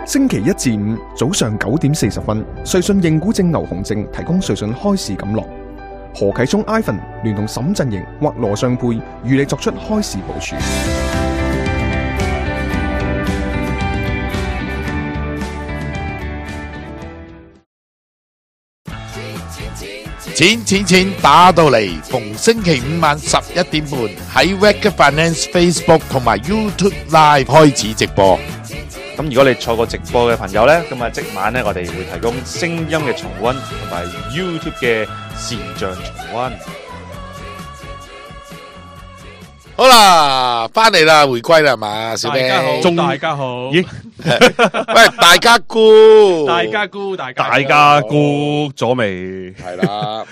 星期一至五早上9點40分，瑞信認股證牛熊證提供瑞信開市錦囊。何啟聰 Ivan 聯同沈振盈或羅尚佩與你作出開市部署。錢打到嚟，逢星期五晚11點半喺 Wake Finance Facebook 同埋 YouTube Live 開始直播。咁如果你錯過直播嘅朋友呢，咁啊即晚呢，我哋會提供聲音嘅重溫同埋 YouTube 嘅視像重溫。好啦，翻嚟啦，回歸啦係嘛，小兵。大家好，咦？喂，大家估，大家估咗未？係啦，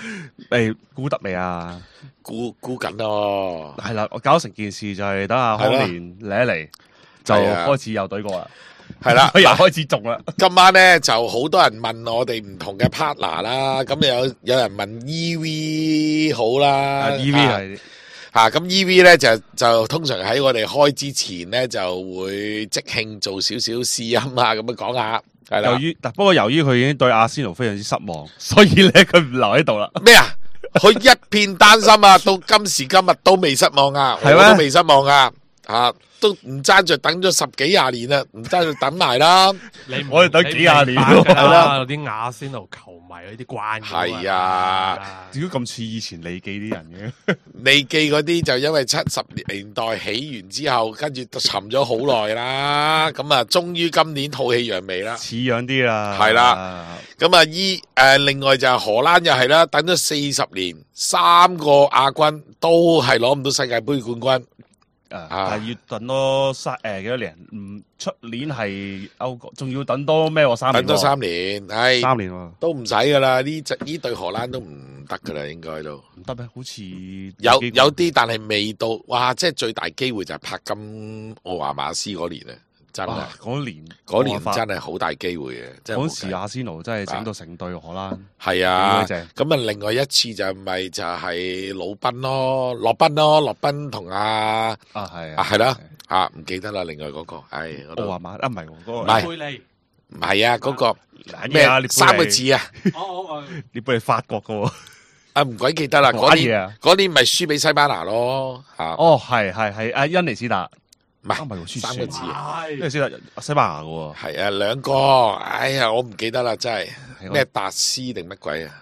估得未啊？估緊咯。係啦，我搞成件事就係等阿康年嚟一嚟，就開始有隊過啦。係啦，又開始中啦。今晚咧就好多人問我哋唔同嘅 partner 啦，咁有人問 EV 好啦，EV 係。咁 EV 咧就通常喺我哋開之前咧就會即興做少少試音啊，咁樣講下，係啦。不過由於佢已經對阿仙奴非常之失望，所以咧佢唔留喺度啦。咩啊？佢一片擔心啊，到今時今日都未失望啊，我都未失望啊，都唔爭住等咗10幾20年啦，唔爭住等埋啦。我哋等幾廿年係啦，有啲阿仙奴球迷嗰啲關係啊，點解咁似以前利記啲人嘅？利記嗰啲就因為70年代起完之後，跟住沉咗好耐啦，咁啊，終於今年吐氣揚眉啦，似樣啲啦，係啦。咁啊，另外就係荷蘭又係啦，等咗40年，3個亞軍都係攞唔到世界盃冠軍。係要等多幾多年？出年係歐國，仲要等多咩？3年。等多3年，係3年喎，都唔使噶啦。呢隊荷蘭都唔得噶啦，應該都唔得咩？好似有啲，但係未到。哇！即係最大機會就係柏金奧華馬斯嗰年啊！真係嗰年真係好大機會嘅。嗰時阿仙奴真係整到成隊荷蘭。係啊，咁啊，另外一次就係魯賓咯，洛賓同係啦，唔記得啦，另外嗰個，奧華馬唔係嗰個，唔係啊，嗰個咩3個字啊？你俾你法國噶喎？唔鬼記得啦，嗰年咪輸俾西班牙咯，係阿恩尼斯達。唔係3個字啊，因為西班牙嘅喎。係啊，2個，哎呀，我唔記得啦，真係咩達斯定乜鬼啊？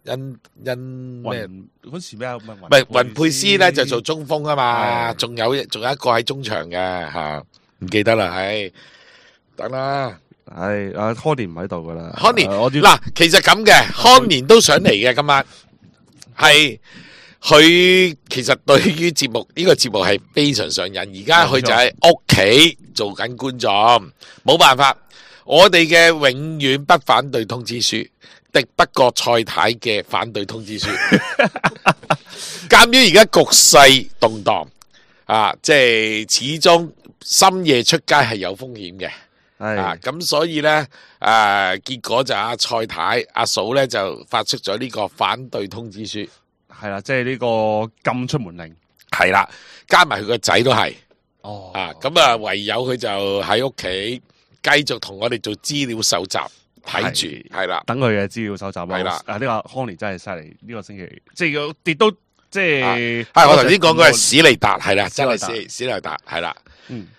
因咩嗰時咩啊？唔係雲佩斯咧就做中鋒啊嘛，仲有一個喺中場嘅吓，唔記得啦，等啦，阿康年唔喺度噶啦，康年嗱，其實咁嘅，康年都想嚟嘅，今晚係。佢其實對於呢個節目係非常上癮，而家佢就喺屋企做緊觀眾，冇辦法，我哋嘅永遠不反對通知書，敵不過蔡太嘅反對通知書。鑒於而家局勢動盪即係始終深夜出街係有風險嘅，咁所以呢，結果就阿蔡太阿嫂呢就發出咗呢個反對通知書。係啦，即係呢個禁出門令。係啦，加埋佢個仔都係。咁啊，唯有佢就喺屋企繼續同我哋做資料搜集，睇住係啦，等佢嘅資料搜集。係啦，呢個康尼真係犀利，呢個星期即係要跌到即係。係我頭先講嗰係史利達，係啦，真係史利達，係啦。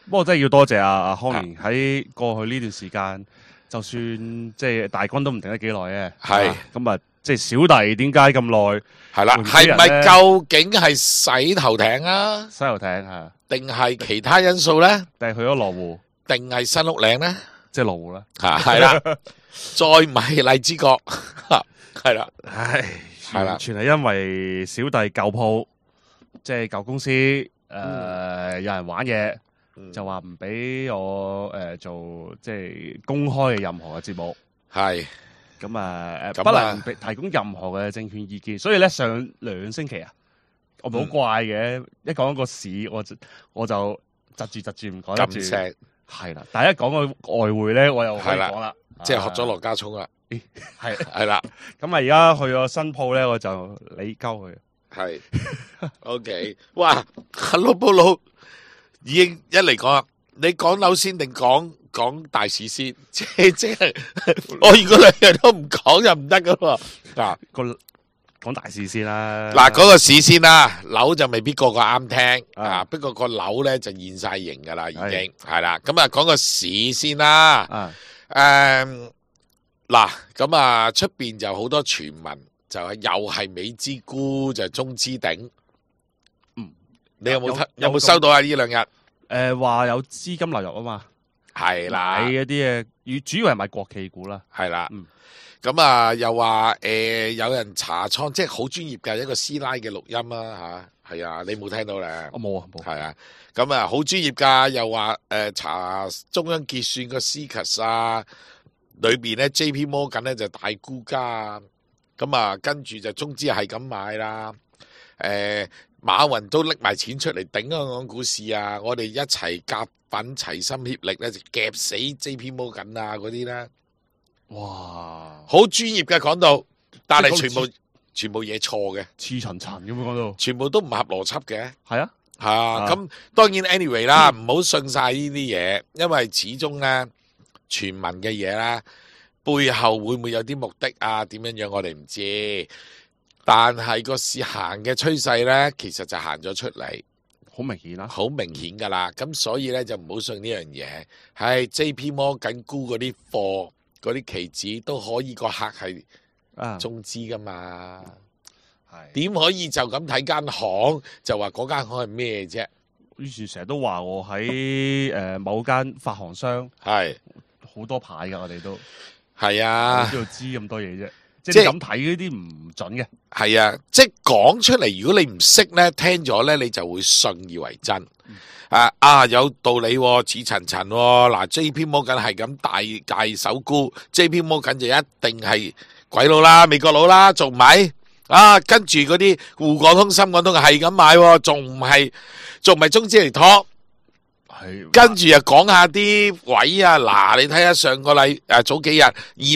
不過真係要多謝阿康尼喺過去呢段時間，就算即係大軍都唔定得幾耐嘅。係咁啊。即係小弟點解咁耐？係啦，係咪究竟係洗頭艇啊？洗頭艇係，定係其他因素咧？定係去咗羅湖？定係新屋嶺咧？即係羅湖啦。係啦，再唔係荔枝角，係啦，唉，完全係因為小弟舊鋪，即係舊公司，有人玩嘢，就話唔俾我做即係公開嘅任何嘅節目，係。咁啊，不能提供任何嘅證券意見，所以咧上2星期啊，我咪好怪嘅，一講個市我就窒住唔講得住，係啦，但係一講個外匯咧，我又可以講啦，即係學咗羅家聰啦，係啦，咁啊而家去咗新鋪咧，我就理鳩佢，係 ，OK， 哇，Hello 布魯已經一嚟講啦，你講樓先定講講大市先，即係我如果兩樣都唔講就唔得噶喎。嗱，講大事先啦。嗱，嗰個市先啦，樓就未必個個啱聽啊，不過個樓咧就現晒形噶啦，已經係啦。咁啊，講個市先啦。嗱，咁啊，出邊就好多傳聞，就係又係美之菇，就係中之鼎。你有冇收到啊？呢兩日話有資金流入啊嘛，係啦，買一啲主要係買國企股啦，係啦。咁啊，又話有人查倉，即係好專業嘅一個師奶嘅錄音啊吓，係啊，你冇聽到咧？我冇啊，冇。係啊，咁啊，好專業噶，又話查中央結算個 CCASS 啊。裏邊咧 JP Morgan 咧就大沽家，咁啊跟住就中資係咁買啦，馬雲都拎埋錢出嚟頂香港股市啊！我哋一齊夾品齊心協力咧，就夾死 JP Morgan 啊嗰啲咧，哇！好專業嘅講到，但係全部嘢錯嘅，似層層咁樣講到，全部都唔合邏輯嘅，係啊，咁當然 anyway 啦，唔好信晒呢啲嘢，因為始終咧。傳聞嘅嘢啦，背後會唔會有啲目的啊？點樣樣我哋唔知，但係個市行嘅趨勢咧，其實就行咗出嚟，好明顯啦，好明顯噶啦。咁所以咧就唔好信呢樣嘢。係 JP Morgan沽嗰啲貨，嗰啲期指都可以個客係中資噶嘛？係點可以就咁睇間行就話嗰間行係咩啫？於是成日都話我喺某間發行商係。好多牌噶，我哋都係啊，邊度知咁多嘢啫？即係咁睇嗰啲唔準嘅。係啊，即係講出嚟，如果你唔識咧，聽咗咧，你就會信以為真。有道理似層層。嗱 ，JP Morgan 係咁大手沽 ，JP Morgan 就一定係鬼佬啦、美國佬啦，仲唔係？跟住嗰啲滬港通、深港通係咁買，仲唔係中資嚟托？跟住又講下啲位啊，嗱，你睇下上個早幾日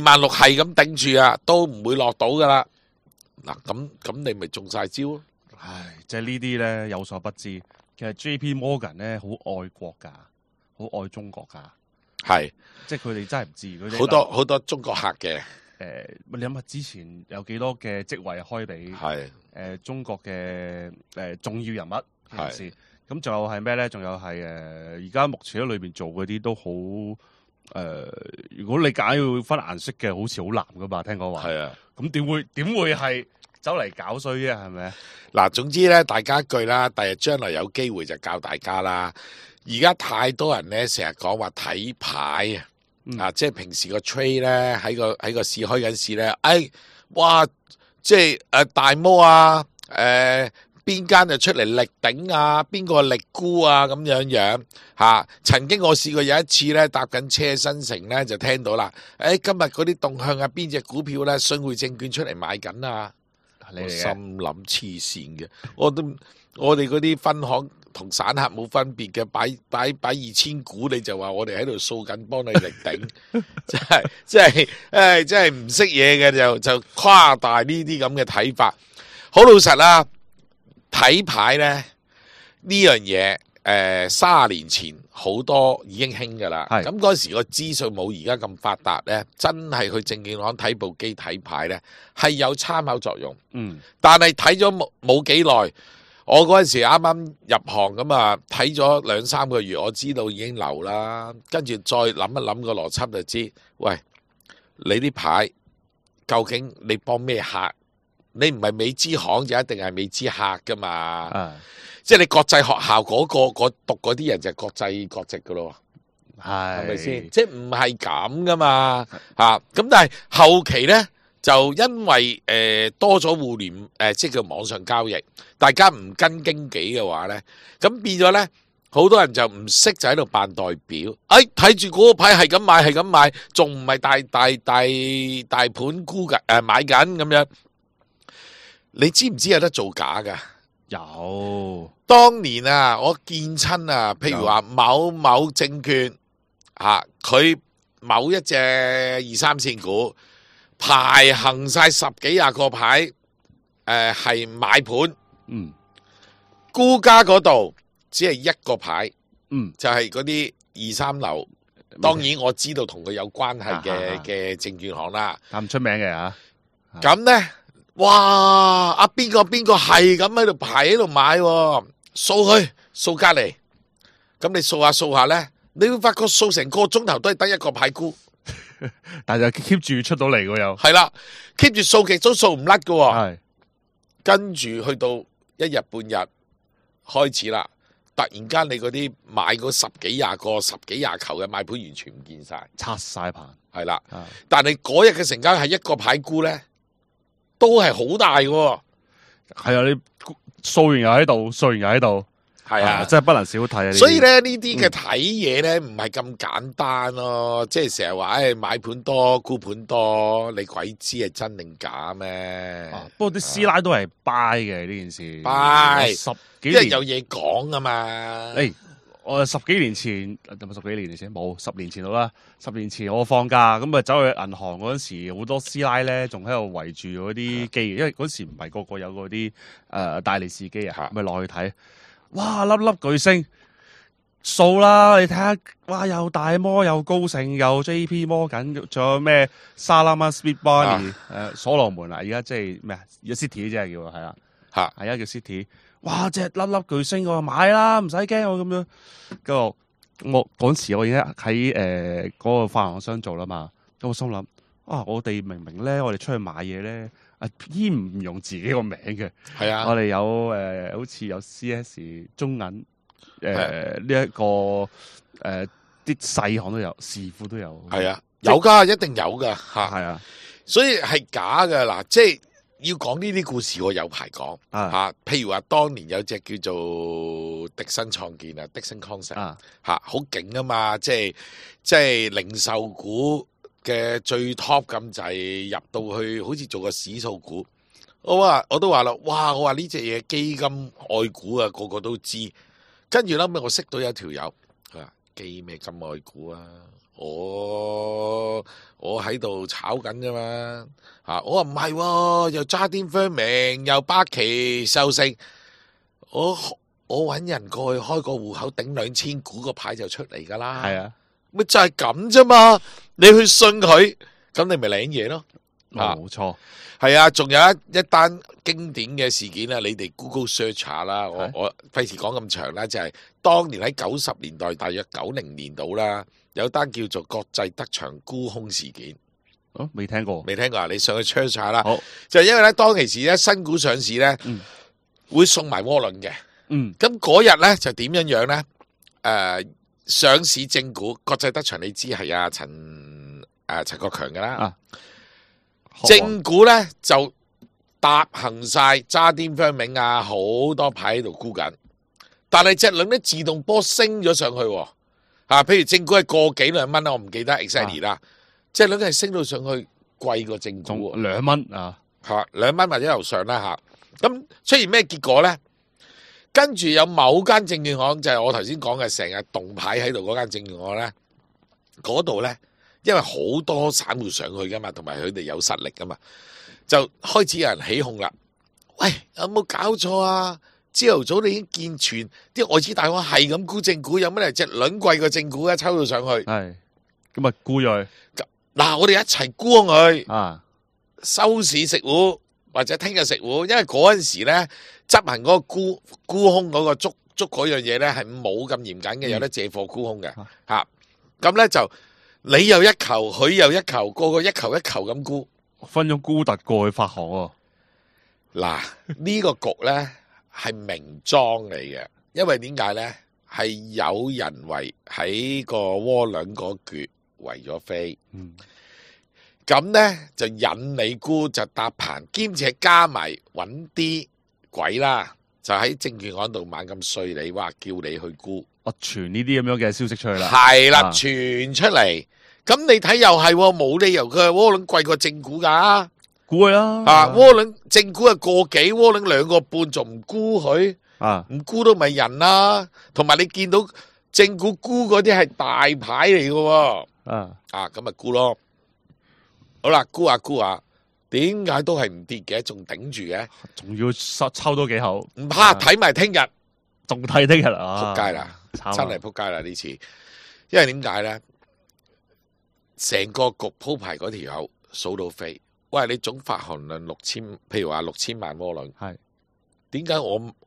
26000係咁頂住啊，都唔會落到噶啦。嗱，咁你咪中晒招咯。唉，即係呢啲咧有所不知，其實 JP Morgan 咧好愛國噶，好愛中國噶。係，即係佢哋真係唔知嗰啲好多中國客嘅。你諗下之前有幾多嘅職位開俾中國嘅重要人物嘅事。咁仲有係咩咧？仲有係而家目前喺裏邊做嗰啲都好如果你揀要分顏色嘅，好似好難噶嘛？聽講話係啊。咁點會係走嚟搞衰啫？係咪？嗱，總之咧，大家一句啦，第日將來有機會就教大家啦。而家太多人咧，成日講話睇牌即係平時個 trade 咧喺個市開緊市咧，哇！即係大摩啊，邊間就出嚟力頂啊，邊個力沽啊咁樣曾經我試過有一次咧搭緊車新城咧就聽到啦，今日嗰啲動向啊，邊隻股票咧信匯證券出嚟買緊啊，我心諗黐線嘅，我哋嗰啲分行同散客冇分別嘅，擺2000股你就話我哋喺度掃緊幫你力頂，真係唔識嘢嘅就誇大呢啲咁嘅睇法，好老實啦。睇牌咧呢樣嘢，30年前好多已經興噶啦。咁嗰時個資訊冇而家咁發達咧，真係去證券行睇部機睇牌咧係有參考作用。但係睇咗冇幾耐，我嗰陣時啱啱入行咁啊，睇咗2-3個月，我知道已經流啦。跟住再諗一諗個邏輯就知，喂，你啲牌究竟你幫咩客？你唔係美資行就一定係美資客噶嘛？即係你國際學校嗰讀嗰啲人就係國際國籍噶咯，係咪先？即係唔係咁噶嘛？咁但係後期咧就因為多咗互聯即係叫網上交易，大家唔跟經紀嘅話咧，咁變咗咧好多人就唔識就喺度扮代表，睇住嗰個牌係咁買，仲唔係大盤沽緊買緊咁樣。你知唔知有得造假噶？有，當年啊，我見親啊，譬如話某證券佢某一隻2-3線股排行晒10幾20個牌，係買盤，沽家嗰度只係一個牌，就係嗰啲2-3樓當然我知道同佢有關係啊嘅證券行啦。咁唔出名嘅嚇。咁咧，哇！阿邊個係咁喺度排喺度買喎，掃佢掃隔離。咁你掃下咧，你會發覺掃成個鐘頭都係得一個牌沽。但係就 keep 住出到嚟喎又。係啦，keep 住掃極都掃唔甩嘅喎。係。跟住去到一日半日開始啦，突然間你嗰啲買嗰十幾廿球嘅買盤完全唔見晒，拆晒棚。係啦。啊但係嗰日嘅成交係一個牌沽咧，都係好大嘅喎。係啊，你掃完又喺度，掃完又喺度。係啊，真係不能少睇啊！所以咧呢啲嘅睇嘢咧唔係咁簡單咯，即係成日話誒買盤多沽盤多，你鬼知係真定假咩？不過啲師奶都係 buy 嘅呢件事 buy 十幾年因為有嘢講啊嘛。我十幾年前，有冇10幾年前？冇10年前到啦。10年前我放假咁啊，走去銀行嗰陣時，好多師奶咧仲喺度圍住嗰啲機，因為嗰時唔係個個有嗰啲大利是機啊，咪落去睇。哇！粒粒巨星數啦，你睇下，哇！又大摩，又高盛，又 JP 摩緊，仲有咩沙拉曼 Speed Barney 所羅門啊！而家即係咩啊？而家 City 即係叫係啦，係而家叫 City。哇！隻粒粒巨星，我話買啦，唔使驚我咁樣。跟住我嗰時我已經喺嗰個發行商做啦嘛，咁我心諗我哋明明咧，我哋出去買嘢咧。依唔用自己個名嘅，係啊，我哋有好似有 CS 中銀呢一個啲細行都有，視庫都有，係啊，有噶，一定有噶嚇，係啊，所以係假噶嗱，即係要講呢啲故事，我有排講嚇。譬如話，當年有隻叫做迪生創建啊，迪生 concept 嚇，好勁啊嘛，即係零售股。嘅最 top 咁滯入到去，好似做個指數股。我都話啦，哇！我話呢隻嘢基金愛股啊，個個都知。跟住後尾我識到有條友，佢話基咩金愛股啊？我喺度炒緊啫嘛。我話唔係喎，又渣甸 Firming，又巴奇壽星。我揾人過去開個戶口頂2000股個牌就出嚟㗎啦。係啊。咪就係咁啫嘛，你去信佢，咁你咪領嘢咯。冇錯，係啊，仲有一單經典嘅事件啊，你哋 Google search 下啦。我費事講咁長啦，就係當年喺90年代，大約90年度啦，有單叫做國際德祥沽空事件。未聽過啊？你上去 search 下啦。好，就因為咧當其時咧新股上市咧，會送埋窩輪嘅。咁嗰日咧就點樣樣咧？上市正股國際德祥，你知係阿陳國強噶啦。正股咧就搭行晒渣甸 Firming 啊，好多牌喺度沽緊，但係隻輪咧自動波升咗上去。譬如正股係個幾2蚊啦，我唔記得 exactly 啦。隻輪係升到上去貴過正股2蚊啊，2蚊或者樓上啦嚇。咁出現咩結果咧？跟住有某間證券行，就係我頭先講嘅成日動牌喺度嗰間證券行咧，嗰度咧，因為好多散戶上去噶嘛，同埋佢哋有實力噶嘛，就開始有人起哄啦。喂，有冇搞錯啊？朝頭早你已經見傳啲外資大行係咁沽正股，有乜嚟隻輪貴過正股啊？抽到上去，係咁啊沽咗佢。嗱，我哋一齊沽佢收市食糊。或者聽日食糊，因為嗰陣時咧執行嗰個沽空嗰個捉嗰樣嘢咧係冇咁嚴謹嘅，有得借貨沽空嘅嚇。咁咧就你又一球，佢又一球，個個一球一球咁沽，分咗沽特過去發行喎。嗱，呢個局咧係明裝嚟嘅，因為點解咧係有人為喺個窩輪嗰橛圍咗飛。咁咧就引你沽就搭棚，兼且加埋揾啲鬼啦，就喺證券行度猛咁碎你，話叫你去沽。傳呢啲咁樣嘅消息出去啦。係啦，傳出嚟。咁你睇又係冇理由佢窩輪貴過正股㗎。沽佢啦。窩輪正股係個幾，窩輪2個半，仲唔沽佢？唔沽都咪人啦。同埋你見到正股沽嗰啲係大牌嚟嘅喎。咁咪沽咯。好啦，沽下，點解都係唔跌嘅，仲頂住嘅，仲要抽多幾口，唔怕睇埋聽日，仲睇聽日啊！仆街啦，真係仆街啦呢次，因為點解咧？成個局鋪排嗰條友數到飛。喂，你總發行量6000，譬如話6000萬窩輪，係點解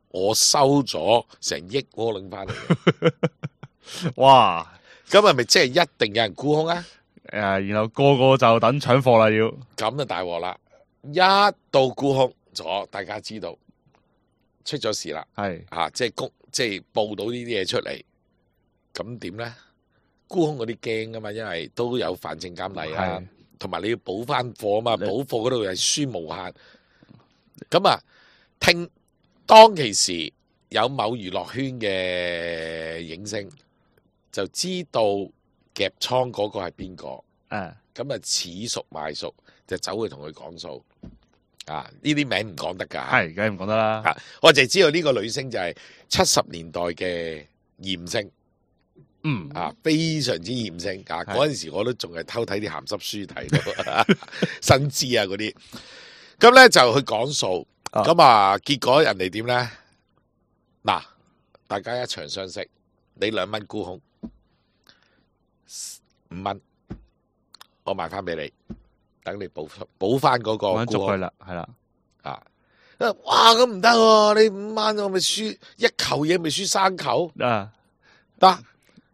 我收咗成億窩輪翻嚟嘅？哇！咁係咪即係一定有人沽空啊？然後個個就等搶貨啦，要咁就大鑊啦！一到沽空咗，大家知道出咗事啦，係即係報到呢啲嘢出嚟，咁點咧？沽空嗰啲驚噶嘛，因為都有反證監例啊，同埋你要補翻貨啊嘛，補貨嗰度係輸無限。咁啊，當其時有某娛樂圈嘅影星就知道夾倉嗰個係邊個，咁啊似熟賣熟，就走去同佢講數。呢啲名唔講得㗎，係梗係唔講得啦。我就知道呢個女星就係70年代嘅艷星。非常之艷星嗰陣時我都仲係偷睇啲鹹濕書睇到新知啊嗰啲，咁咧就去講數，咁結果人哋點咧？嗱，大家一場相識，你2蚊沽空，5蚊，我賣翻俾你，等你補翻嗰個沽空啦，係啦，哇咁唔得喎，你5蚊我咪輸一球嘢，咪輸3球得。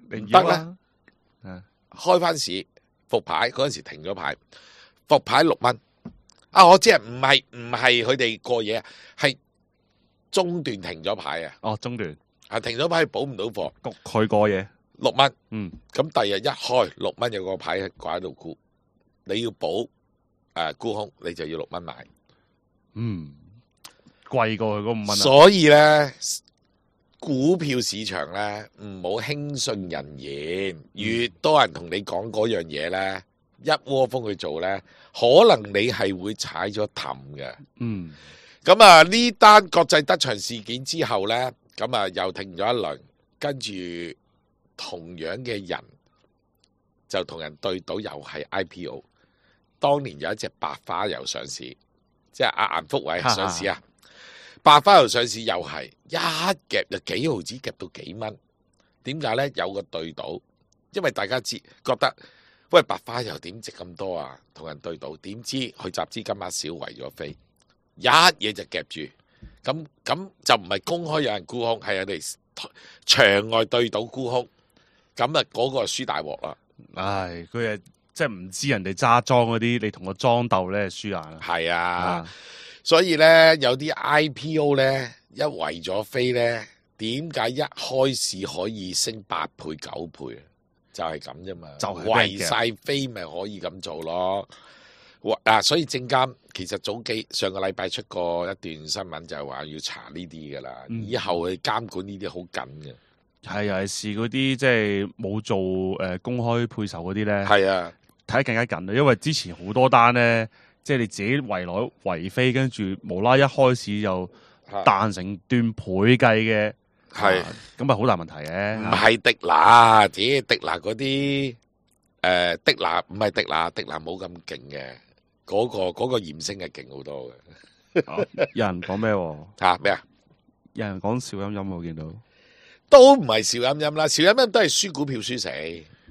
唔得啦，開翻市復牌嗰陣時停咗牌，復牌6蚊。我知唔係佢哋過夜啊，係中段停咗牌啊。哦，中段停咗牌補唔到貨，焗佢過夜6蚊。咁第日一開6蚊有個牌掛喺度沽，你要補沽空，你就要6蚊買。貴過佢嗰5蚊。所以咧。股票市場咧，唔好輕信人言，越多人同你講嗰樣嘢咧，一窩蜂去做咧，可能你係會踩咗氹嘅。咁呢單國際德場事件之後咧，咁又停咗一輪，跟住同樣嘅人就同人對賭，又係 IPO。當年有一隻白花油上市，即係阿顏福偉上市啊。白花油上市又係一夾就幾毫子夾到幾蚊，點解咧？有個對賭，因為大家覺得喂白花油點值咁多啊？同人對賭，點知佢集資金額少，圍咗飛，一嘢就夾住，咁就唔係公開有人沽空，係人哋場外對賭沽空，咁嗰個輸大鑊啦。唉，佢係即係唔知人哋揸莊嗰啲，你同個莊鬥咧輸硬啦。係啊。所以咧，有啲 IPO 咧一圍咗飛咧，點解一開市可以升8倍9倍啊？就係咁啫嘛，就圍晒飛咪可以咁做咯。所以證監其實上個禮拜出過一段新聞，就係話要查呢啲噶啦，以後去監管呢啲好緊嘅。係尤其是嗰啲即係冇做公開配售嗰啲咧，係啊，睇得更加緊啦，因為之前好多單咧。即係你自己圍來圍飛，跟住無啦一開始就彈成段倍計嘅，係咁咪好大問題嘅。唔係迪拿，迪拿嗰啲迪拿唔係迪拿冇咁勁嘅，嗰個艷星係勁好多嘅。有人講咩？咩啊？有人講邵音音，我見到都唔係邵音音啦，邵音音都係輸股票輸死。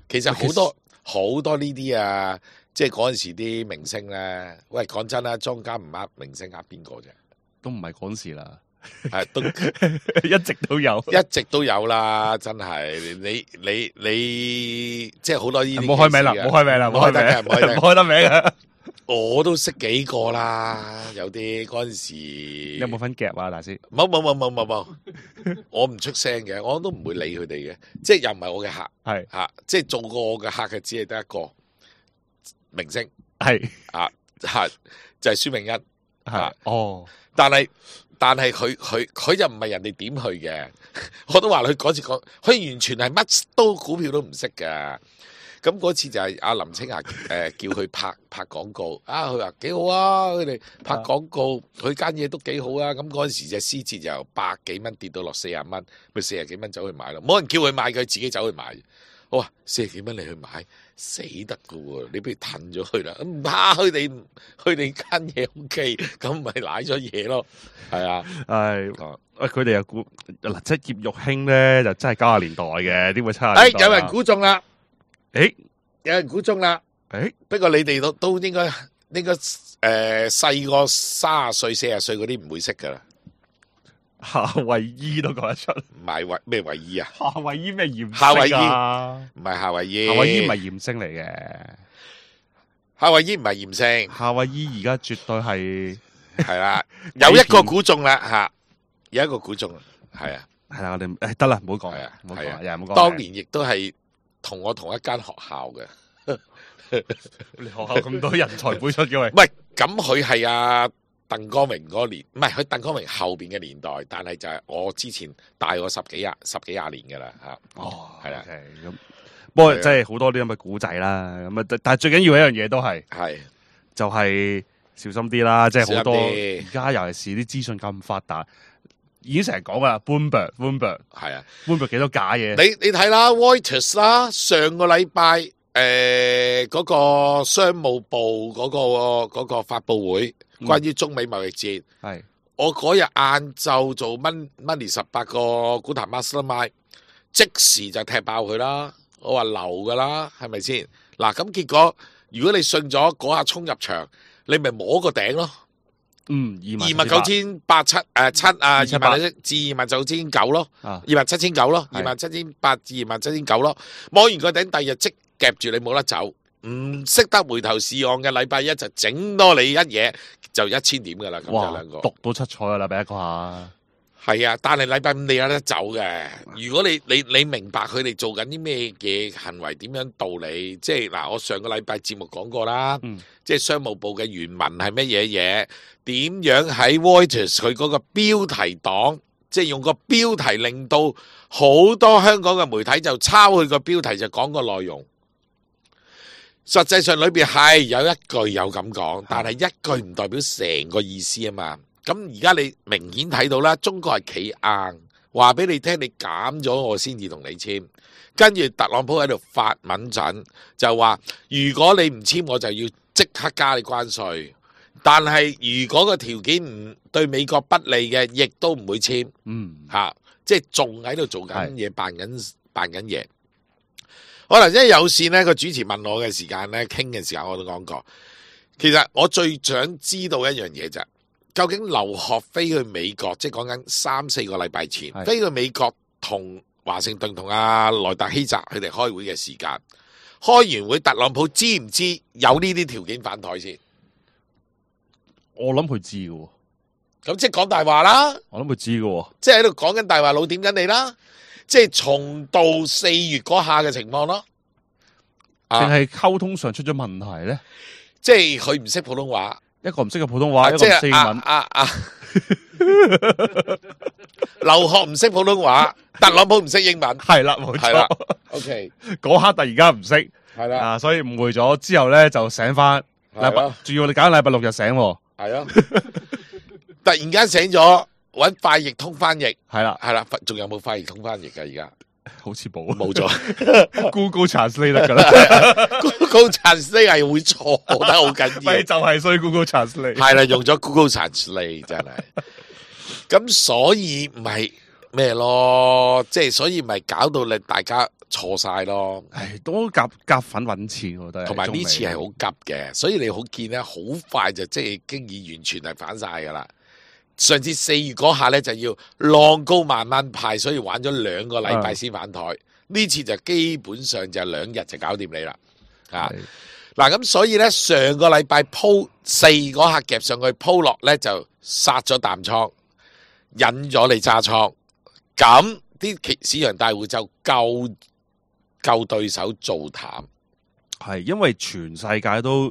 其實好多呢啲啊。即係嗰陣時啲明星咧，喂，講真啦，莊家唔呃明星呃邊個啫？都唔係講事啦，都一直都有啦，真係你即係好多呢啲。唔好開名啦，唔好開名啦，唔開得名啊！我都識幾個啦，有啲嗰陣時。你有冇分夾啊，大師？冇，我唔出聲嘅，我都唔會理佢哋嘅，即係又唔係我嘅客，係即係做過我嘅客嘅只係得一個。明星係就係孫明恩但係佢就唔係人哋點去嘅，我都話佢嗰次講，佢完全係乜都股票都唔識㗎。咁嗰次就係阿林青霞叫佢拍廣告佢話幾好啊，佢哋拍廣告，佢間嘢都幾好啊。咁嗰陣時隻獅子就由100幾蚊跌到落40蚊，咪40幾蚊走去買咯，冇人叫佢買，佢自己走去買。我話40幾蚊你去買死得噶喎，你不如褪咗佢啦，唔怕佢哋間嘢 OK，咁咪瀨咗嘢咯，係啊，佢哋又估嗱，即係葉玉卿咧就真係90年代嘅，點會70年代？有人估中啦，有人估中啦，不過你哋都應該細個30歲40歲嗰啲唔會識噶啦。夏威夷都講得出，唔係咩衛衣啊？夏威夷咩艷夏威夷星啊？唔係夏威夷，夏威夷唔係艷星嚟嘅，夏威夷唔係艷星，夏威夷而家絕對係係啦，有一個估中啦吓，有一個估中啦，係啊，係啦，我哋得啦，唔好講係啊，唔好講，係啊又唔好講。當年亦都係同我同一間學校嘅，你學校咁多人才輩出嘅喂唔，係咁佢係阿鄧光榮嗰年，唔係佢鄧光榮後邊嘅年代，但係就係我之前大我十幾廿年噶啦吓，哦，係啦 OK，咁不過真係好多啲咁嘅古仔啦，咁啊，但係最緊要一樣嘢都係係就係小心啲啦，即係好多小心啲而家尤其是啲資訊咁發達，已經成日講噶啦 ，Bloomberg 係啊。幾多假嘢，你睇啦，Reuters 啦，上個禮拜嗰個商務部嗰個發佈會，關於中美貿易戰，係我嗰日晏晝做 Money 18個股壇 Mastermind，即時就踢爆佢啦，我話流噶啦，係咪先？嗱咁結果，如果你信咗嗰下衝入場，你咪摸個頂咯。298777啊，27900至27900咯，27900咯，27800至27900咯，摸完個頂，第二日即夾住你冇得走，唔識得回頭是岸嘅禮拜一就整多你一嘢就1000點噶啦，咁就哇兩個讀到七彩噶啦，俾一個下，係啊，但係禮拜五你有得走嘅。如果你明白佢哋做緊啲咩嘢行為，點樣道理，即係嗱，我上個禮拜節目講過啦，即係商務部嘅原文係乜嘢嘢，點樣喺 Reuters 佢嗰個標題黨，即係用個標題令到好多香港嘅媒體就抄佢個標題就講個內容。實際上裏邊係有一句有咁講，但係一句唔代表成個意思啊嘛。咁而家你明顯睇到啦，中國係企硬，話俾你聽，你減咗我先至同你簽。跟住特朗普喺度發敏陣，就話如果你唔簽，我就要即刻加你關稅。但係如果個條件唔對美國不利嘅，亦都唔會簽。即係仲喺度做緊嘢，扮緊嘢。可能因為有線呢個主持問我嘅時間呢，傾嘅時間我都講過。其實我最想知道一樣嘢就係，究竟留學飛去美國，即係講緊3-4個禮拜前飛去美國同華盛頓同阿萊特希澤佢哋開會嘅時間，開完會特朗普知唔知有呢啲條件反台先？我諗佢知嘅喎，咁即係講大話啦。我諗佢知嘅喎，即係喺度講緊大話，老點緊你啦。即係重蹈4月嗰下嘅情況咯。定係溝通上出咗問題咧？即係佢唔識普通話，一個唔識嘅普通話，一個即係唔識英文。留學唔識普通話，特朗普唔識英文，係啦，冇係啦錯。 OK，嗰刻突然間唔識，係啦，所以誤會咗之後咧就醒翻。係咯仲要你揀禮拜六日醒喎，係咯，突然間醒咗，搵快譯通翻譯，係啦，係啦，仲有冇快譯通翻譯噶？而家好似冇冇咗，Google Translate 得噶啦， ，Google Translate 係會錯得好緊咪要，就係衰 Google Translate。係啦，用咗 Google Translate 真係，咁所以唔係咩咯，即係所以咪搞到你大家錯晒咯。唉，都夾粉揾錢，我覺得。同埋呢次係好急嘅，所以你好見咧，好快就即係經已完全係反晒噶啦。上次4月嗰下咧就要浪高慢慢派，所以玩咗2個禮拜先反台。呢次就基本上就2日就搞掂你啦。嗱咁所以咧上個禮拜鋪4嗰下夾上去鋪落咧就殺咗淡倉，引咗你揸倉。咁啲市場大戶就救對手做淡。係因為全世界都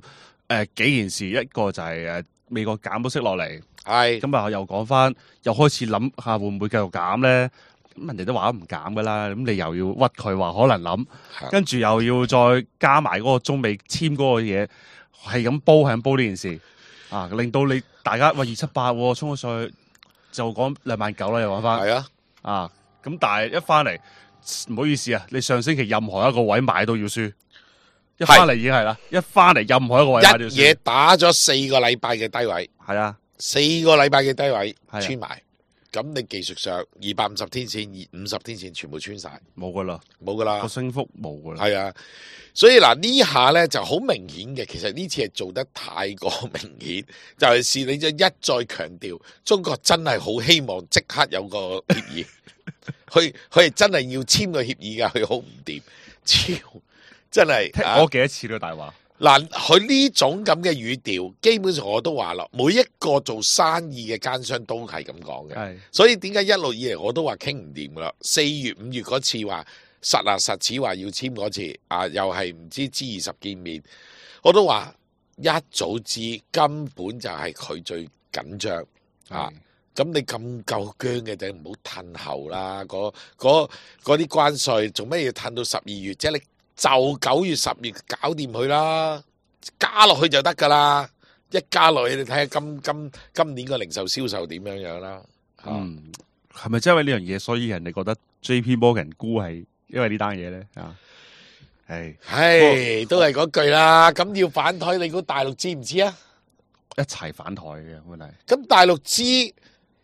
幾件事，一個就係美國減咗息落嚟，係咁啊又講翻，又開始諗下會唔會繼續減咧？咁人哋都話唔減噶啦，咁你又要屈佢話可能諗，跟住又要再加埋嗰個中美簽嗰個嘢，係咁煲呢件事啊，令到你大家喂278衝咗上去，就講29000啦，又講翻係啊，咁但係一翻嚟唔好意思啊，你上星期任何一個位買都要輸。一翻嚟已經係啦，一翻嚟任何一個位一嘢打咗4個禮拜嘅低位，係啊， 4個禮拜嘅低位係啊穿埋，咁你技術上250天線、50天線全部穿晒，冇噶啦，冇噶啦個，升幅冇噶啦。係啊。所以嗱呢下咧就好明顯嘅，其實呢次係做得太過明顯，就係你就一再強調，中國真係好希望即刻有個協議，佢係真係要簽個協議㗎，佢好唔掂，超真係聽我幾多次呢個大話？嗱，佢呢種咁嘅語調，基本上我都話啦，每一個做生意嘅奸商都係咁講嘅。係所以點解一路以嚟我都話傾唔掂噶啦？4月、5月嗰次話實似話要簽嗰次，又係唔知 G20見面，我都話一早知根本就係佢最緊張啊！咁你咁夠僵嘅，就唔好褪後啦。嗰啲關稅做咩要褪到12月啫？你就9月、10月搞掂佢啦，加落去就得噶啦。一加落去，你睇下今年個零售銷售點樣啦。係咪真係因為呢樣嘢，所以人哋覺得 JP Morgan 沽係因為呢單嘢咧？係都係嗰句啦。咁要反台，你估大陸知唔知啊？一齊反台嘅本嚟。咁大陸知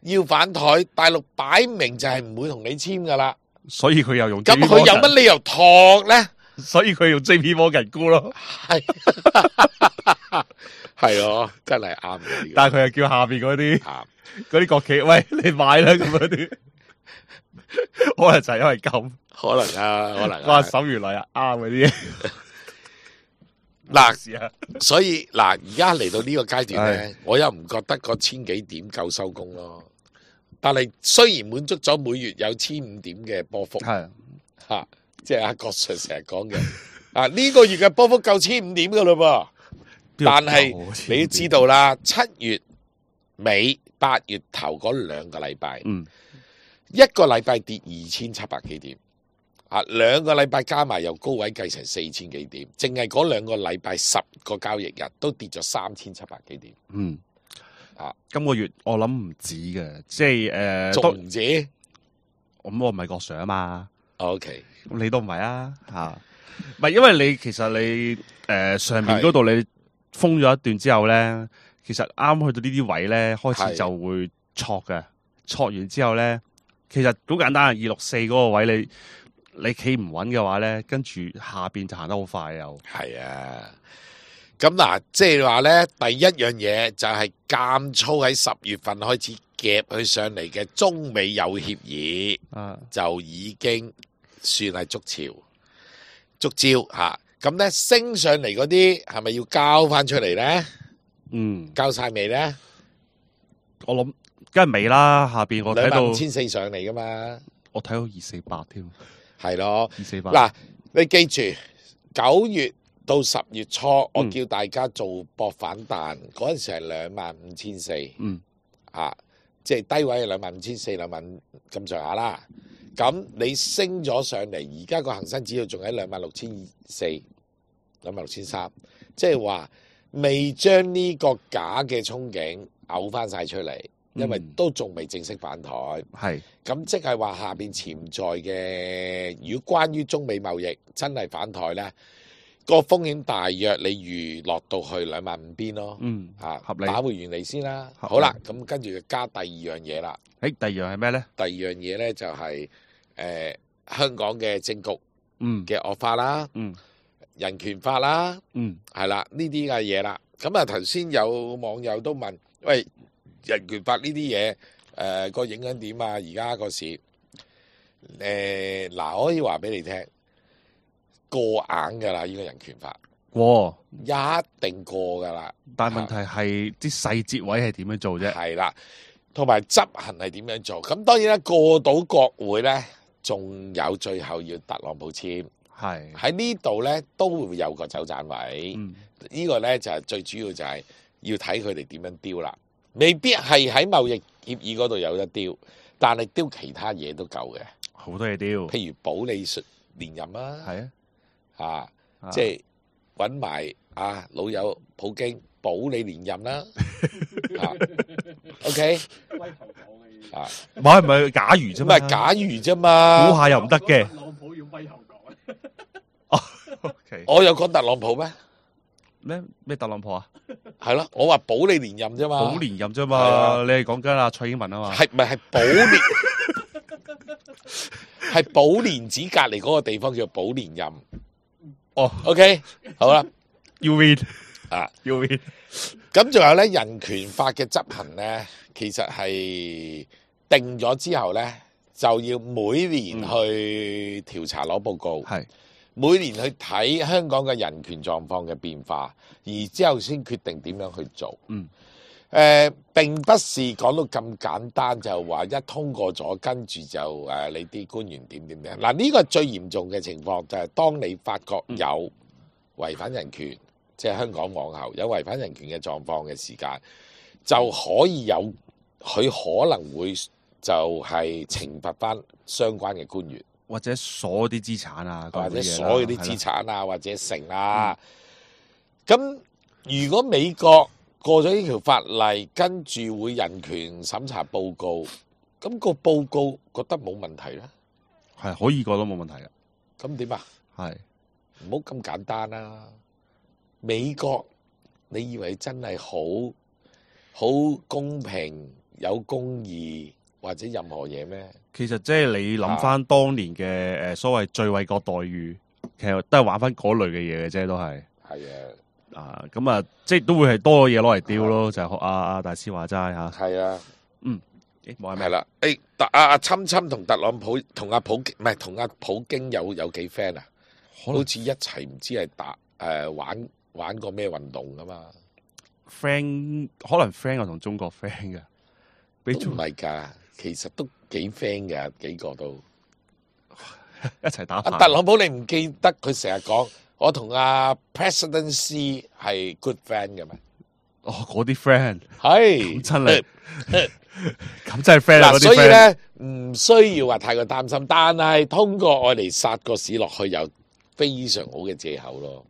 要反台，大陸擺明就係唔會同你簽噶啦。所以佢又用 咁 JP 佢有乜理由托咧？所以佢用 JP Morgan 沽咯。係係咯，真係啱嘅。但係佢又叫下邊嗰啲啱嗰啲國企，喂，你買啦咁嗰啲，可能就係因為咁，可能啊，可能哇，手如嚟啊，啱嗰啲嘢。嗱，所以嗱，而家嚟到呢個階段咧，我又唔覺得個1000幾點夠收工咯。但係雖然滿足咗每月有1500點嘅波幅，係吓，即係阿郭 Sir 成日講嘅，呢個月嘅波幅夠1500點噶嘞噃。但係你都知道啦，7月尾、8月頭嗰2個禮拜，一個禮拜跌2700幾點。2個禮拜加埋由高位計成4000幾點，淨係嗰2個禮拜10個交易日都跌咗3700幾點。今個月我諗唔止嘅，即係仲唔止？咁我唔係郭 Sir 啊嘛。OK，咁你都唔係啊？唔係因為你其實你上面嗰度你封咗一段之後咧，其實啱去到呢啲位咧，開始就會挫嘅。挫完之後咧，其實好簡單，264嗰個位你企唔穩嘅話咧，跟住下邊就行得好快又。係啊，咁嗱，即係話咧，第一樣嘢就係監粗喺10月份開始夾佢上嚟嘅中美有協議，就已經算係捉招吓。咁咧升上嚟嗰啲係咪要交翻出嚟咧？交晒未咧？我諗梗係未啦，下邊我睇到25400上嚟噶嘛，我睇到248添。係咯，248。嗱，你記住9月到10月初，我叫大家做搏反彈，嗰陣時係25400，即係低位係25400、25000咁上下啦。咁你升咗上嚟，而家個恒生指數仲喺26400、26300，即係話未將呢個假嘅憧憬嘔翻晒出嚟。因為都仲未正式反台，咁即係話下邊潛在嘅，如果關於中美貿易真係反台咧，個風險大約你預落到去25000邊咯，合理，打回原嚟先啦。好啦，咁跟住就加第二樣嘢啦。第二樣係咩咧？第二樣嘢咧就係香港嘅政局嘅惡化啦，人權法啦，係啦呢啲嘅嘢啦。咁啊頭先有網友都問，喂，人權法呢啲嘢，個影響點啊？而家個市，嗱，我可以話俾你聽，過硬噶啦，呢個人權法過，一定過噶啦。但係問題係啲細節位係點樣做啫？係啦，同埋執行係點樣做？咁當然啦，過到國會咧，仲有最後要特朗普簽。係喺呢度咧，都會有個走盞位。呢個咧就係最主要就係要睇佢哋點樣丟啦。未必係喺貿易協議嗰度有得丟，但係丟其他嘢都夠嘅，好多嘢丟。譬如保你連任啦，係啊，即係揾埋老友普京保你連任啦，OK，唔係假如啫嘛，唔係假如啫嘛，估下又唔得嘅。特朗普要威後講我有講特朗普咩？咩特朗普啊？係咯，我話保你連任啫嘛，保連任啫係嘛，啊你係講緊阿蔡英文啊嘛，係咪係保連？係寶蓮寺隔離嗰個地方叫寶蓮任。哦，OK，好啦， ，You win 啊， ，You win，咁仲有咧人權法嘅執行咧，其實係定咗之後咧，就要每年去調查攞報告，係每年去睇香港嘅人權狀況嘅變化，而之後先決定點樣去做。嗯。並不是講到咁簡單，就話一通過咗，跟住就你啲官員點點點。嗱，呢個最嚴重嘅情況就係當你發覺有違反人權，即係香港往後有違反人權嘅狀況嘅時間，就可以有佢可能會就係懲罰翻相關嘅官員，或者鎖啲資產啊，或者嗰啲嘢啦所有啲資產啊，或者成啊。咁如果美國過咗呢條法例，跟住會人權審查報告，咁個報告覺得冇問題咧，係可以過都冇問題嘅，咁點啊？係唔好咁簡單啦！美國，你以為真係好公平、有公義或者任何嘢咩？其實即係你諗翻當年嘅所謂最惠國待遇，其實都係玩翻嗰類嘅嘢嘅啫，都係係啊咁啊，即係都會係多嘢攞嚟丟咯，就係學阿大師話齋嚇，係啊，冇係咩？係啦。阿侵侵同特朗普同阿普唔係同阿普京有幾 friend 啊？可能好似一齊唔知係玩過咩運動噶嘛？ friend 可能 friend 我同中國 friend 嘅，俾都中唔係㗎，其實都幾 friend 㗎，幾個都。一齊打阿牌。特朗普你唔記得佢成日講我同阿 President C 係 good friend 嘅咩？哦，嗰啲 friend 係咁真係咁真係 friend 啊！嗰嗱，啲 friend 所以咧唔需要話太過擔心，但係通過我嚟殺個市落去有非常好嘅藉口咯。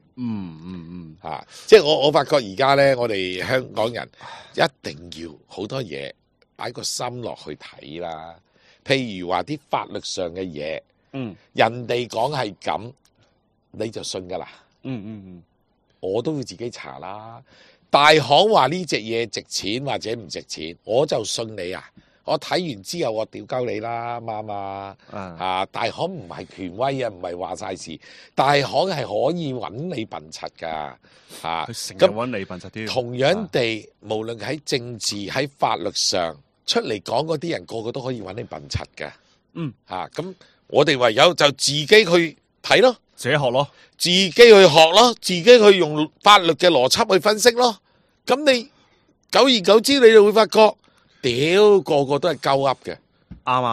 即係我發覺而家咧，我哋香港人一定要好多嘢擺個心落去睇啦。譬如話啲法律上嘅嘢，人哋講係咁，你就信㗎啦。我都會自己查啦。大行話呢隻嘢值錢或者唔值錢，我就信你啊！我睇完之後，我屌鳩你啦，啱嘛？大行唔係權威啊，唔係話晒事。大行係可以揾你笨柒噶，佢成日揾你笨柒啲。同樣地，無論喺政治喺法律上出嚟講嗰啲人，個個都可以揾你笨柒嘅。咁我哋唯有就自己去睇咯。自己學咯，自己去學咯，自己去用法律嘅邏輯去分析咯。咁你久而久之，你就會發覺，屌個個都係鳩噏嘅。啱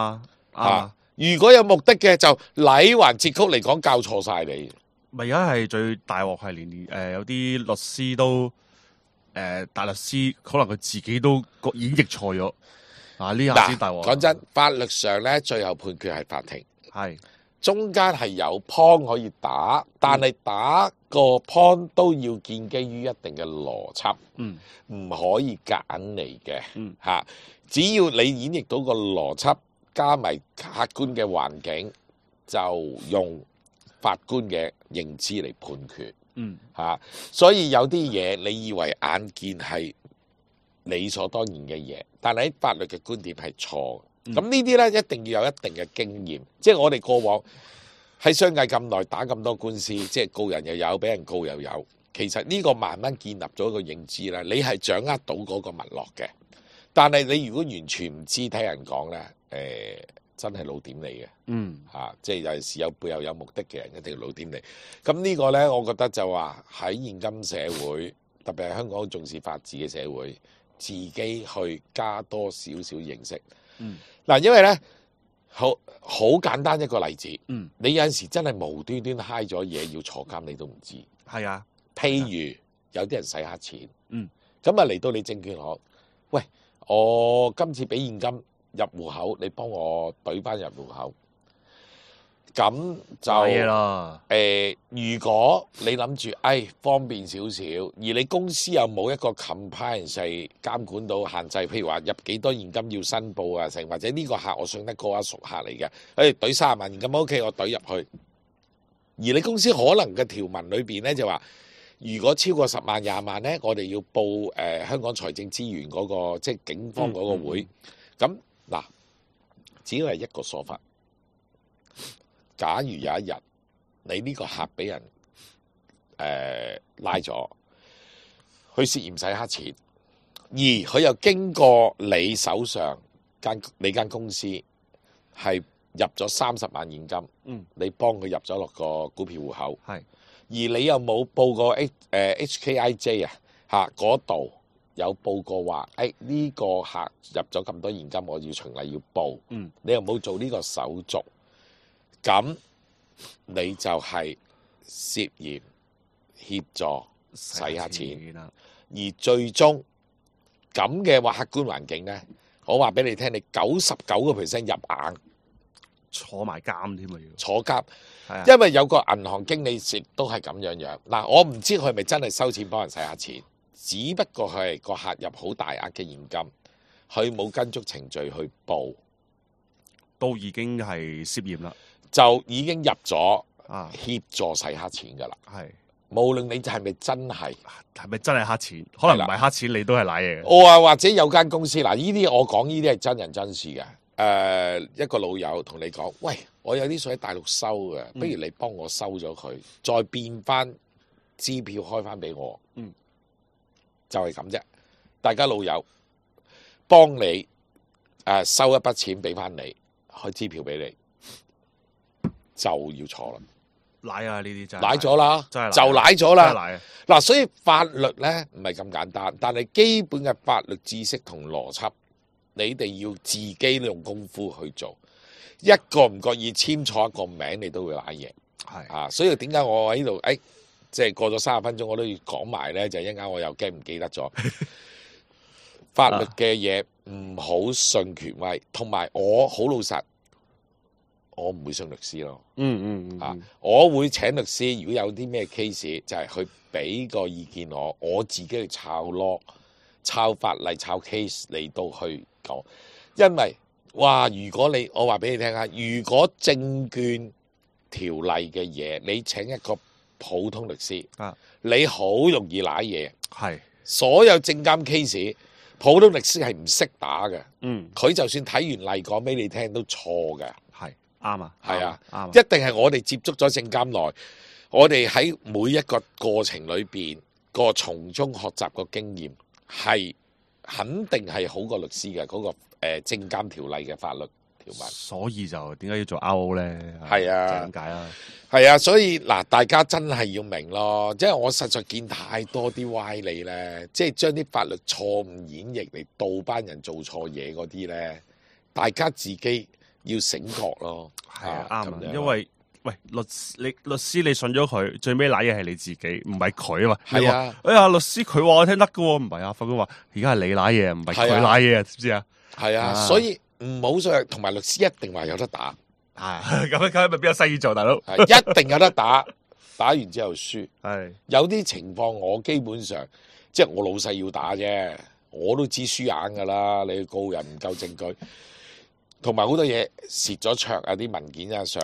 啊！如果有目的嘅，就禮還節曲嚟講教錯晒你。咪而家係最大鑊係連有啲律師都大律師，可能佢自己都演繹錯咗。呢下先大鑊。講真，法律上咧，最後判決係法庭。係。中間係有 point 可以打，但係打個 point 都要建基於一定嘅邏輯，唔可以夾硬嚟嘅。只要你演繹到個邏輯，加埋客觀嘅環境，就用法官嘅認知嚟判決。所以有啲嘢你以為眼見係理所當然嘅嘢，但係喺法律嘅觀點係錯。咁呢啲咧一定要有一定嘅經驗，即係我哋過往喺商界咁耐打咁多官司，即係告人又有，俾人告又有。其實呢個慢慢建立咗一個認知啦，你係掌握到嗰個脈絡嘅。但係你如果完全唔知，聽人講咧，真係老點你嘅。即係有陣時有背後有目的嘅人一定要老點你。咁呢個咧，我覺得就話喺現今社會，特別係香港重視法治嘅社會，自己去加多少少認識。嗱，因為咧好簡單一個例子，你有陣時真係無端端揩咗嘢要坐監，你都唔知。係啊，譬如有啲人洗黑錢，咁啊嚟到你證券行，喂，我今次俾現金入戶口，你幫我懟翻入戶口。咁就如果你諗住方便少少，而你公司又冇一個 compliance 監管到限制，譬如話入幾多現金要申報啊，成或者呢個客我信得過啊，熟客嚟嘅，懟30萬現金 OK，我懟入去。而你公司可能嘅條文裏邊咧就話，如果超過10萬、20萬咧，我哋要報香港財政資源嗰、個即係警方嗰個會。咁嗱、只要係一個說法。假如有一日你呢個客俾人拉咗，佢涉嫌洗黑錢，而佢又經過你手上你間公司係入咗30萬現金，你幫佢入咗落個股票戶口，而你又冇報過HKIJ 嗰度有報過話，呢個客入咗咁多現金，我要循例要報，你又冇做呢個手續，咁你就係涉嫌協助洗黑錢，而最終咁嘅話客觀環境呢，我話俾你聽，你99% 入硬。坐埋監添啊！要坐監，因為有個銀行經理亦都係咁樣。嗱，我唔知佢係咪真係收錢幫人洗下錢，只不過佢係個客入好大額嘅現金，佢冇跟足程序去報，都已經係涉嫌啦，就已經入咗協助洗黑錢噶啦。係，無論你係咪真係黑錢，可能唔係黑錢，你都係賴嘢嘅。我話或者有間公司嗱，呢啲我講呢啲係真人真事嘅。一個老友同你講，喂，我有啲水喺大陸收嘅，不如你幫我收咗佢，再變翻支票開翻俾我，就係咁啫。大家老友幫你收一筆錢俾翻你，開支票俾你，就要坐啦。賴啊！呢啲真係賴咗啦，就賴咗啦。嗱，所以法律咧唔係咁簡單，但係基本嘅法律知識同邏輯。你哋要自己用功夫去做，一個唔覺意簽錯一個名，你都會賴嘢。所以點解我喺度？即係過咗30分鐘，我都要講埋咧，就一陣間我又驚唔記得咗。法律嘅嘢唔好信權威，同埋我好老實，我唔會信律師咯。我會請律師，如果有啲咩 case，就係去俾個意見我自己去抄 law、抄法例、抄 case 嚟到去。因為如果我話俾你聽下，如果證券條例嘅嘢，你請一個普通律師，你好容易揦嘢。係所有證監 case，普通律師係唔識打嘅。佢就算睇完例講俾你聽都錯嘅。係啱啊，係啊，啱。一定係我哋接觸咗證監內，我哋喺每一個過程裏邊個從中學習個經驗係。肯定係好過律師嘅嗰個證監條例嘅法律條文，所以就點解要做 RO 咧？係啊，就咁解啦。係啊，所以嗱，大家真係要明咯，即係我實在見太多啲歪理咧，即係將啲法律錯誤演繹嚟導班人做錯嘢嗰啲咧，大家自己要醒覺咯。係啊，啱啊，因為。喂，律師你信咗佢，最尾賴嘢係你自己，唔係佢啊嘛。係啊，律師佢話我聽得噶喎，唔係啊，法官話而家係你賴嘢，唔係佢賴嘢，知唔知啊？係啊，所以唔好信，同埋律師一定話有得打。咁樣咪邊有生意做，大佬？一定有得打，打完之後輸。係有啲情況，我基本上即係我老細要打啫，我都知輸硬噶啦。你告人唔夠證據。同埋好多嘢蝕咗卓啊，啲文件啊上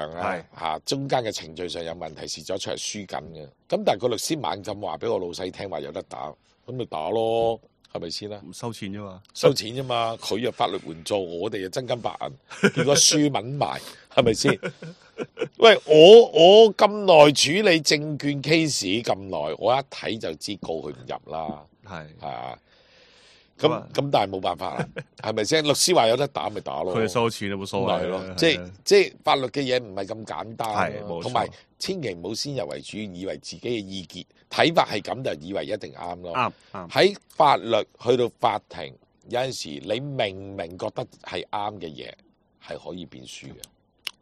啊中間嘅程序上有問題，蝕咗卓係輸緊嘅。咁但係個律師猛咁話俾我老細聽話有得打，咁咪打咯，係咪先啦？唔收錢啫嘛，收錢啫嘛。佢又法律援助，我哋又真金白銀，結果輸文埋，係咪先？喂，我咁耐處理證券 case 咁耐，我一睇就知告佢唔入啦，係啊。咁但係冇辦法啦，係咪先？律師話有得打咪打咯，佢收錢都冇所謂咯。即係法律嘅嘢唔係咁簡單，同埋千祈唔好先入為主，以為自己嘅意見睇法係咁就以為一定啱咯。啱喺法律去到法庭，有陣時你明覺得係啱嘅嘢，係可以變輸嘅。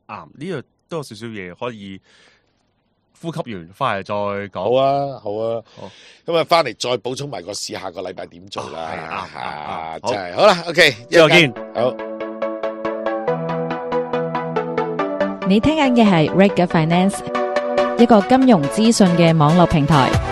啱，呢個都有少少嘢可以。呼吸完翻嚟再講。好啊，好啊，好。咁啊，翻嚟再補充埋個試下個禮拜點做啦。真係好啦 ，OK， 一陣見。好。你聽緊嘅係 Reg Finance，一個金融資訊嘅網絡平台。